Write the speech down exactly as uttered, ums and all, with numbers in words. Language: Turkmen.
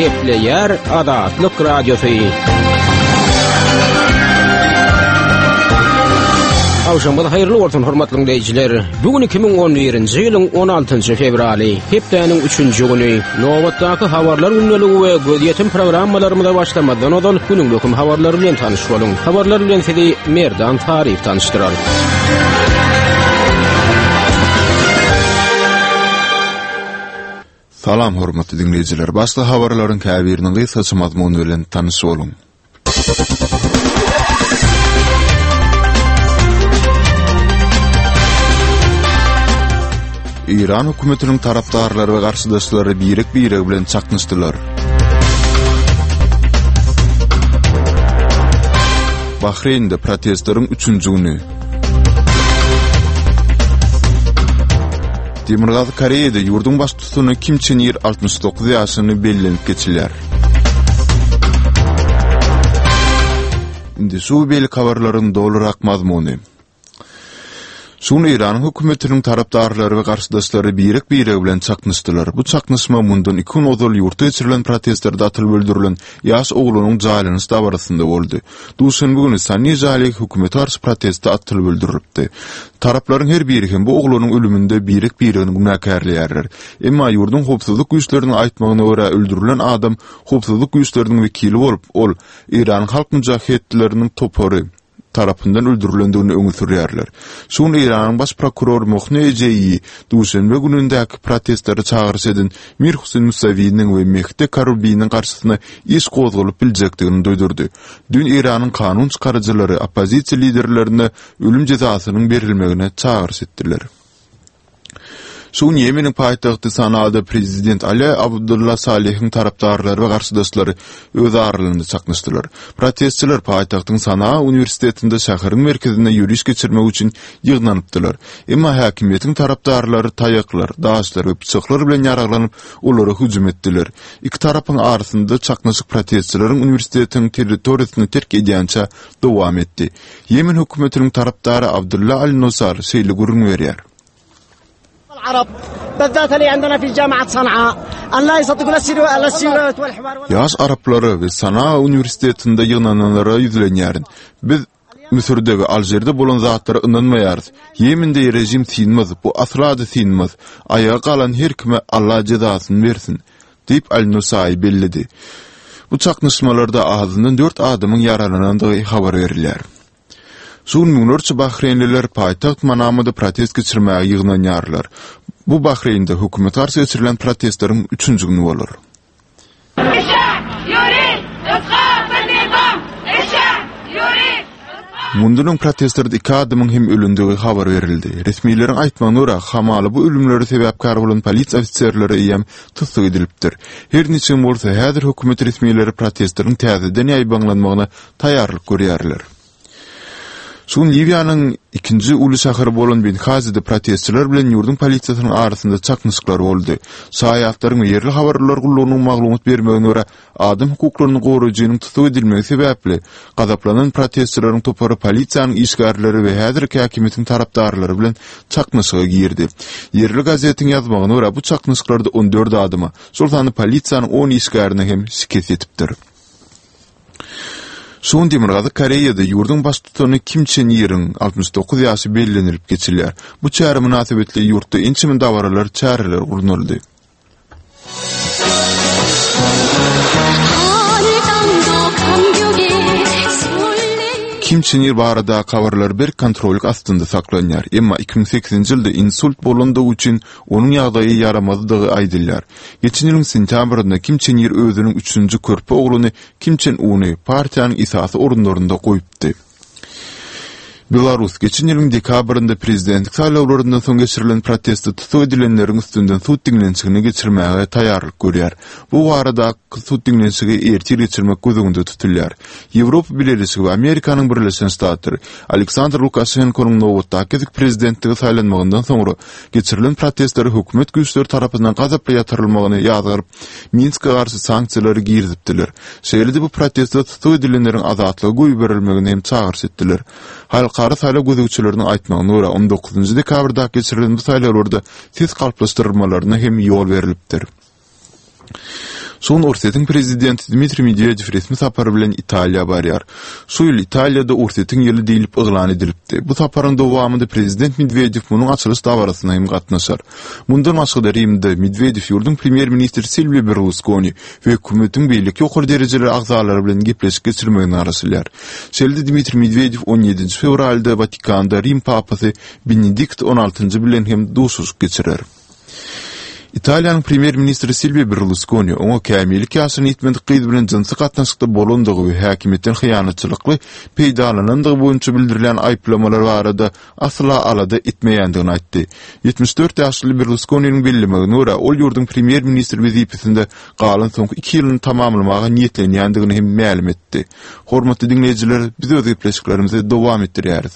Gepleýär Azatlyk Radiosy. Agşamyňyz haýyrly bolsun hormatly dinleýjiler. Bu gün iki müň on birinji ýylyň on altynjy fewraly, hepdäniň üçünji güni. Nobatdaky habarlar gündeligi we gözýetim programmalarymyza başlamazdan ozal günüň möhüm habarlary bilen tanyş boluň. Habarlar bilen sizi Merdan Taryf tanyşdyrar. Salam hormatly dinleýjiler. Başda habarlaryň käbiriniň gysgaça mazmuny bilen tanyş boluň. Iran hökümetiniň tarapdarlary we garşydaşlary birek-biregi bilen çaknyşdylar. Bahreýnde protestleriň üçünji güni. Demirgazyk Koreýada ýurduň baştutany Kim Çen Ir altmyş dokuz ýaşyny bellenip geçilýär. Indi şu beýleki habarlaryň dolurak mazmuny. Şu gün Eýranyň hökümetiniň tarapdarlary we garşydaşlary birek-biregi bilen çaknyşdylar. Bu çaknyşma mundan iki gün ozal ýurtda geçirilen protestlerde atylyp öldürilen ýaş oglanyň jaýlanyş dabarasynda boldy. Duşenbe güni Sani Jali hökümete garşy protestde atylyp öldürilipdi. Taraplaryň her biri hem bu oglanyň ölüminde birek-biregini günäkärleýärler. Emma ýurduň howpsuzlyk güýçleriniň aýtmagyna görä öldürilen adam howpsuzlyk güýçleriniň wekili bolup, ol Eýranyň halk müjahitleriniň topary tarapyndan öldürilendigini öňe sürýärler. Şu gün Eýranyň baş prokurory Mohne Ejeýi duşenbe günündäki protestlere çagyryş eden Mir Huseýn Musawiniň we Mehdi Karubiniň garşysyna iş gozgalyp biljekdigini duýdurdy. Dün Eýranyň kanun çykaryjylary oppozisiýa liderlerine ölüm jezasynyň berilmegine çagyryş etdiler. Şu gün Ýemeniň paýtagty Sanaada prezident Ali Abdullah Salihiň tarapdarlary we garşydaşlary öz aralarynda çaknyşdylar. Protestçiler paýtagtyň Sanaa uniwersitetinde şäheriň merkezinde ýöriş geçirmek üçin ýygnanypdylar. Emma häkimiýetiň tarapdarlary taýaklar, daşlar we pyçaklar bilen ýaraglanyp, olara hüjüm etdiler. Iki tarapyň arasynda çaknyşyk protestçileriň uniwersitetiň territoriýasyny terk edýänçä dowam etdi. Ýemen hökümetiniň tarapdary Abdullah Al-Nusar şeýle gürrüň berýär. العرب بالذات اللي عندنا في جامعة صنعاء أن لا يصدقون السيرات والحوار. Ýaş araplary we Sanaa uniwersitetinde ýygnananlara ýüzlenýärin. Biz Müsürde we Alžirde bolan zatlara ynanmaýarys. Ýemende rejim synmaz, bu asla-da synmaz. Aýaga galan her kime Allah jezasyny bersin, diýip Al-Nusai belledi. Bu çaknyşmalarda azyndan dört adamyň ýaralanandygy habar berilýär. Şu gün müňlerçe Bahreýnliler paýtagt Manamada protest geçirmäge ýygnanýarlar. Bu Bahreýnde hökümet garşy geçirilen protestleriň üçünji güni bolar. Mundan öň protestlerde iki adamyň hem ölündigi habar berildi. Resmileriň aýtmagyna görä, hamala bu ölümlere sebäpkär bolan polisiýa ofiserleri eýýäm tussag edilipdir. Her niçem bolsa, häzir hökümet resmileri protestleriň täzeden ýaýbaňlanmagyna taýýarlyk görýärler. Şu gün Liwiýanyň ikinji uly şäheri bolan Benghazide protestçiler bilen ýurduň polisiýasynyň arasynda çaknyşyklar boldy. Şaýatlaryň we ýerli habarlar gullugynyň maglumat bermegine görä, adam hukuklaryny goraýjynyň tussag edilmegi sebäpli gazaplanan protestçileriň topary polisiýanyň işgärleri we häzirki häkimiýetiň tarapdarlary bilen çaknyşyga girdi. Ýerli gazetiň ýazmagyna görä, bu çaknyşyklarda on dört adama, şol sanda polisiýanyň on işgärine hem şikes ýetipdir. Şu gün Demirgazyk Koreýada ýurduň baştutany Kim Çen Iriň altmyş dokuz ýaşy bellenilip geçilýär. Bu çäre mynasybetli ýurtda ençeme dabaralar, çäreler gurnaldy. Kim Çen Ir barada habarlar berk kontrollyk astynda saklanýar. Emma iki müň sekizinji ýylda insult bolandygy üçin onuň ýagdaýy ýaramazdygy aýdylýar. Geçen ýylyň sentýabrynda Kim Çen Ir özüniň üçünji körpe ogluny Kim Çen Uny partiýanyň esasy orunlarynda goýupdy. Belarus geçen ýylyň dekabrynda prezidentlik saýlawlaryndan soň geçirilen protestde tussag edilenleriň üstünden sud diňlenişigini geçirmäge taýýarlyk görýär. Bu baradaky sud diňlenişigi ertir geçirmek göz öňünde tutulýar. Ýewropa Bileleşigi we Amerikanyň Birleşen Ştatlary Aleksandr Lukaşenkonyň nobatdaky gezek prezidentligi saýlanmagyndan soňra geçirilen protestleri hökümet güýçleri tarapyndan gazaply ýatyrylmagyny ýazgaryp, Minske garşy sanksiýalary girizipdiler. Şeýle-de bu protestde tussag edilenleriň azatlyga goýberilmegini hem çagyryş etdiler. Halkara saýlaw gözegçileriniň aýtmagyna görä, on dokuzynjy dekabrda geçirilen bu saýlawlarda ses galplaşdyrylmalaryna hem ýol berilipdir. Şu gün Orsýetiň prezidenti Dmitriý Medwedew resmi sapar bilen Italiýa barýar. Şu ýyl Italiýada Orsýetiň ýyly diýlip yglan edilipdi. Bu saparyň dowamynda prezident Medwedew munuň açylyş dabarasyna hem gatnaşar. Mundan başga-da Rimde Medwedew ýurduň premýer-ministri Silwio Berluskoni we hökümetiň beýleki ýokary derejeli agzalary bilen gepleşik geçirmegine garaşylýar. Şeýle-de Dmitriý Medwedew on ýedinji fewralda Watikanda Rim papasy Benedikt on altynjy bilen hem duşuşyk geçirer. Italiýanyň premýer-ministri Silwio Berluskoni oňa kämillik ýaşyna ýetmedik gyz bilen jynsy gatnaşykda bolandygy we häkimiýetden hyýanatçylykly peýdalanandygy boýunça bildirilýän aýyplamalar barada asla alada etmeýändigini aýtdy. Ýetmiş dört ýaşly Berluskoniniň bellemegine görä, ol ýurduň premýer-ministri wezipesinde galan soňky iki ýylyny tamamlamaga niýetlenýändigini hem mälim etdi. Hormatly diňleýjiler, biz öz gepleşiklerimizi dowam etdirýäris.